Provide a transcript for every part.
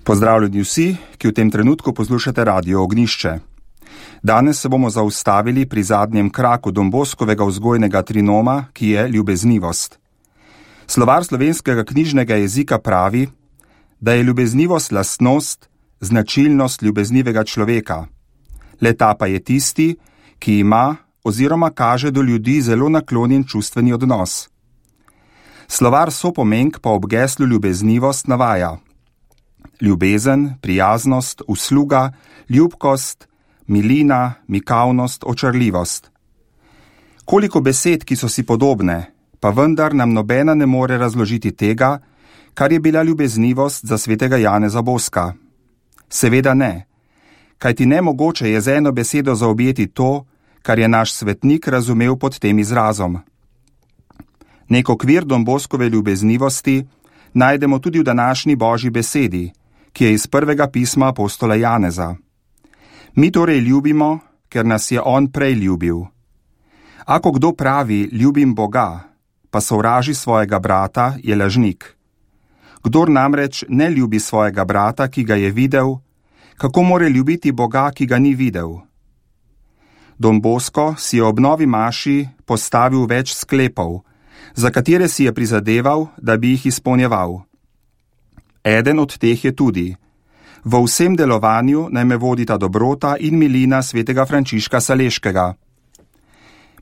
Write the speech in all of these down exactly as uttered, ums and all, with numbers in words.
Pozdravljeni vsi, ki v tem trenutku poslušate Radio Ognišče. Danes se bomo zaustavili pri zadnjem kraku Don Boskovega vzgojnega trinoma, ki je ljubeznivost. Slovar slovenskega knjižnega jezika pravi, da je ljubeznivost lastnost, značilnost ljubeznivega človeka. Le ta pa je tisti, ki ima oziroma kaže do ljudi zelo naklonjen čustveni odnos. Slovar Sopomenk pa ob geslu ljubeznivost navaja: ljubezen, prijaznost, usluga, ljubkost, milina, mikavnost, očarljivost. Koliko besed, ki so si podobne, pa vendar nam nobena ne more razložiti tega, kar je bila ljubeznivost za svetega Janeza Boska. Seveda ne, kajti nemogoče je z eno besedo zaobjeti to, kar je naš svetnik razumel pod tem izrazom. Nek okvir Don Boskove ljubeznivosti najdemo tudi v današnji Božji besedi, ki je iz prvega pisma apostola Janeza. Mi torej ljubimo, ker nas je on prej ljubil. Ako kdo pravi, ljubim Boga, pa sovraži svojega brata, je lažnik. Kdor namreč ne ljubi svojega brata, ki ga je videl, kako more ljubiti Boga, ki ga ni videl? Don Bosko si je ob novi maši postavil več sklepov, za katere si je prizadeval, da bi jih izpolnjeval. Eden od teh je tudi: v vsem delovanju naj me vodita dobrota in milina svetega Frančiška Saleškega.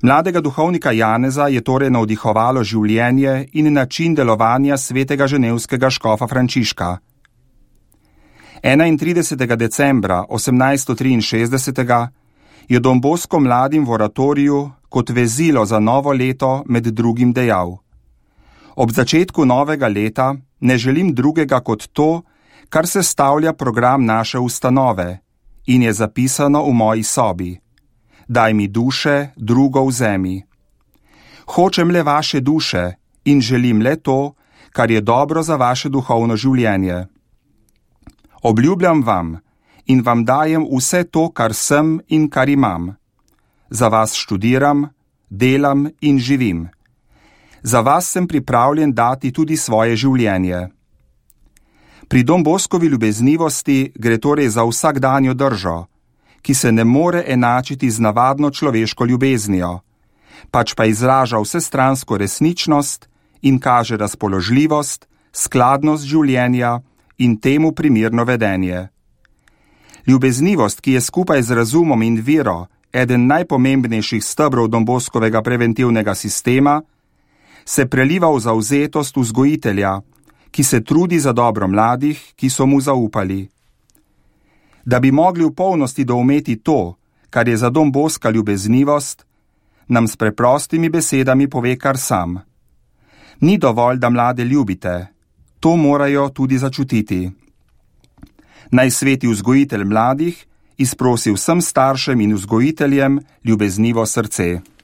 Mladega duhovnika Janeza je torej navdihovalo življenje in način delovanja svetega ženevskega škofa Frančiška. enaintridesetega decembra osemnajststo triinšestdeset je Don Bosko mladim v oratoriju kot vezilo za novo leto med drugim dejal: ob začetku novega leta ne želim drugega kot to, kar sestavlja program naše ustanove in je zapisano v moji sobi. Daj mi duše, drugo vzemi. Hočem le vaše duše in želim le to, kar je dobro za vaše duhovno življenje. Obljubljam vam in vam dajem vse to, kar sem in kar imam. Za vas študiram, delam in živim. Za vas sem pripravljen dati tudi svoje življenje. Pri Don Boskovi ljubeznivosti gre torej za vsakdanjo držo, ki se ne more enačiti z navadno človeško ljubeznijo, pač pa izraža vsestransko resničnost in kaže razpoložljivost, skladnost življenja in temu primerno vedenje. Ljubeznivost, ki je skupaj z razumom in vero eden najpomembnejših stebrov Don Boskovega preventivnega sistema, se preliva v zavzetost vzgojitelja, ki se trudi za dobro mladih, ki so mu zaupali. Da bi mogli v polnosti doumeti to, kar je za Don Boska ljubeznivost, nam s preprostimi besedami pove kar sam. Ni dovolj, da mlade ljubite, to morajo tudi začutiti. Naj sveti vzgojitelj mladih izprosi vsem staršem in vzgojiteljem ljubeznivo srce.